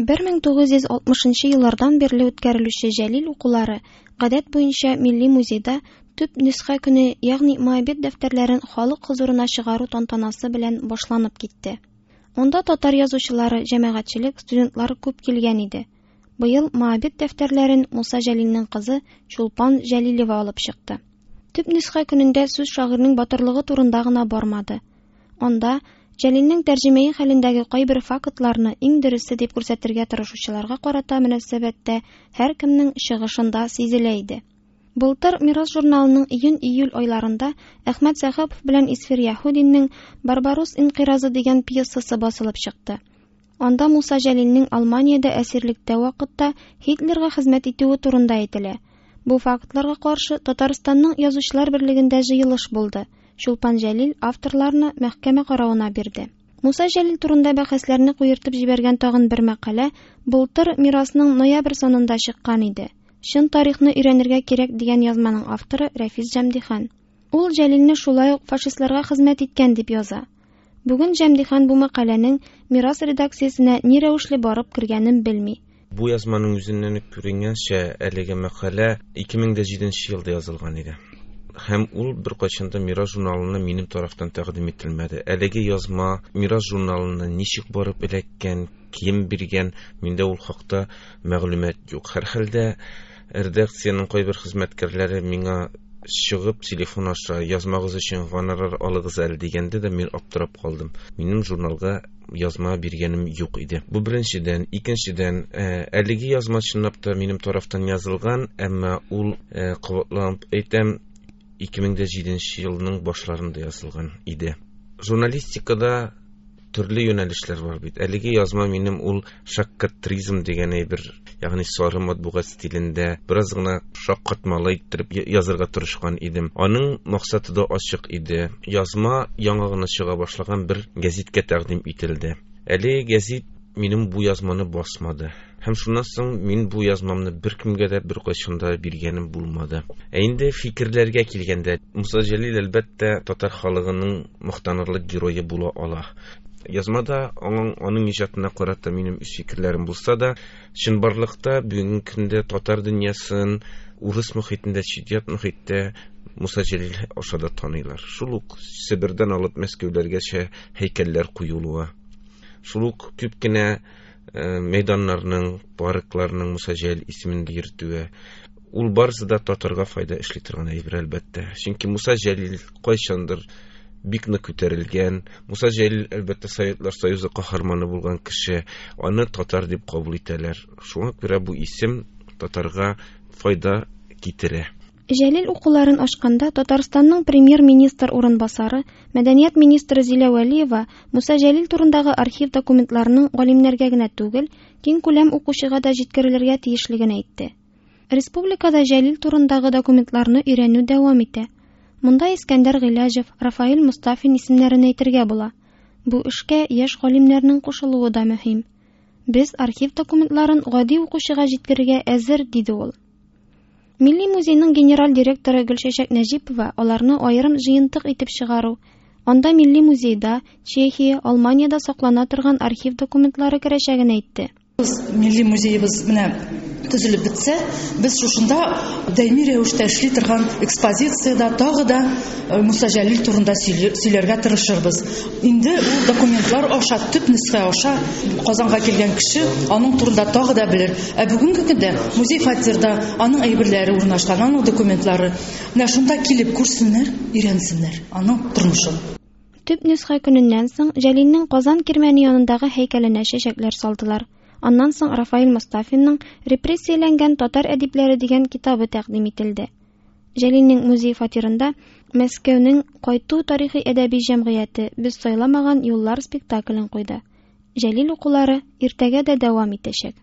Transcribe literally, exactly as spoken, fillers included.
бер мең тугыз йөз алтмышынчы еллардан бирле үткәрелүче Җәлил укулары гадәт буенча Милли музейда төп нөсхә көне, ягъни Моабит дәфтәрләрен халык хозурына чыгару тантанасы белән башланып китте. Анда татар язучылары, җәмәгатьчелек, студентлар күп килгән иде. Быел Моабит дәфтәрләрен Муса Җәлилнең кызы Чулпан Җәлилева алып чыкты. Төп нөсхә көнендә сүз шагыйрьнең батырлыгы турында гына бармады. Анда Җәлилнең тәрҗемәи хәлендәге кайбер фактларны иң дөресе дип күрсәтергә тырышучыларга карата мөнәсәбәттә һәркемнең чыгышында сизелә иде. Былтыр Мирас журналының июнь-июль айларында Әхмәт Сәхапов белән Исфир Яһудинның Барбарос инкыйразы дигән пьесасы басылып чыкты. Анда Муса Җәлилнең Алманиядә әсирлектә вакытта Һитлерга хезмәт итүе турында әйтелә. Бу фактларга каршы Татарстанның Язучылар берлегендә җыелыш булды. Чулпан Җәлил авторларны мәхкәмә каравына бирде. Муса Җәлил турында бәхәсләрне куертып җибәргән тагын бер мәкалә былтыр Мирасның ноябрь санында чыккан иде. Чын тарихны өйрәнергә кирәк дигән язманың авторы Рәфис Җәмдихан. Ул Җәлилне шулай ук фашистларга хезмәт иткән дип яза. Бүген Җәмдихан бу мәкаләнең Мирас редакциясенә ни рәвешле барып кергәнен белми. Бу язманың үзеннән үк күренгәнчә, әлеге мәкалә ике мең дә җиденче елда язылган иде. Һәм ул бер кайчан да Мирас журналына минем тарафтан тәкъдим ителмәде. Әлеге язма Мирас журналына ничек барып эләккән, кем биргән, миндә ул хакта мәгълүмат юк. Һәрхәлдә редакциянең кайбер хезмәткәрләре миңа чыгып телефон аша язмагыз өчен гонорар алыгыз әле дигәндә дә мин аптырап калдым. Минем журналга язма биргәнем юк иде. Бу беренчедән. Икенчедән, э, әлеге язма чынлап та минем тарафтан язылган, әмма ул, э, кабатланып әйтәм, ике мең дә җиденче елның башларында язылган иде. Журналистикада төрле юнәлешләр бар бит. Әлеге язма минем ул шаккатризм дигән әйбер, ягъни сары матбугат стилендә бераз гына шаккатмалы иттереп язырга тырышкан идем. Аның максаты да ачык иде. Язма яңа гына чыга башлаган бер гәзиткә тәкъдим ителде. Әлеге гәзит минем бу язманы басмады. Һәм шуннан соң мин бу язмамны беркемгә дә бер кайчан да биргәнем булмады. Ә инде фикерләргә килгәндә, Муса Җәлил әлбәттә татар халыгының мактанырлык герое була ала. Язмада аның, аның иҗатына карата минем үз фикерләрем булса да, чынбарлыкта бүгенге көндә татар дөньясын урыс мөхитендә, чит-ят мөхиттә Муса Җәлил аша да таныйлар. Шул ук Себердән алып Мәскәүләргәчә һәйкәлләр куелуы, шул ук күп кенә, э, мәйданнарның, паркларның Муса Җәлил исемен йөртүе, ул барысы да татарга файда эшли торган әйбер әлбәттә. Чөнки Муса Җәлил кайчандыр бик нык күтәрелгән. Муса Җәлил әлбәттә Советлар Союзы каһарманы булган кеше, аны татар дип кабул итәләр. Шуңа күрә бу исем татарга файда китерә. Җәлил укуларын ачканда Татарстанның премьер-министр урынбасары, мәдәният министры Зилә Вәлиева Муса Җәлил турындагы архив документларының галимнәргә генә түгел, киң күләм укучыга да җиткерелергә тиешлеген әйтте. Республикада Җәлил турындагы документларны өйрәнү дәвам итә. Монда Искәндәр Гыйләҗев, Рафаэль Мостафин исемнәрен әйтергә була. Бу эшкә яшь галимнәрнең кушылуы да мөһим. Без архив документларын гади укучыга җиткерергә әзер, диде ул. Милли музейның генераль директоры Гөлчәчәк Нәҗипова аларны аерым җыентык итеп чыгару, анда Милли музейда, Чехия, Алманиядә саклана торган архив документлары керәчәген әйтте. Без Милли музейыбыз менә төзелеп бетсә, без шушында даими рәвештә эшли торган экспозициядә тагы да, э, Муса Җәлил турында сөйле-, сөйләргә тырышырбыз. Инде ул документлар аша, төп нөсхә аша Казанга килгән кеше аның турында тагы да белер. Ә бүгенге көндә музей фатирда аның әйберләре урнашкан, аның документлары. Менә шунда килеп күрсеннәр, өйрәнсеннәр аның тормышын. Төп нөсхә көненнән соң Җәлилнең Казан кирмәне янындагы һәйкәленә чәчәкләр салдылар. Аннан соң Рафаэль Мостафинның Репрессияләнгән татар әдипләре дигән китабы тәкъдим ителде. Җәлилнең музей фатирында Мәскәүнең Кайту тарихи әдәби җәмгыяте Без сайламаган юллар спектаклен куйды. Җәлил укулары иртәгә дә дәвам итәчәк.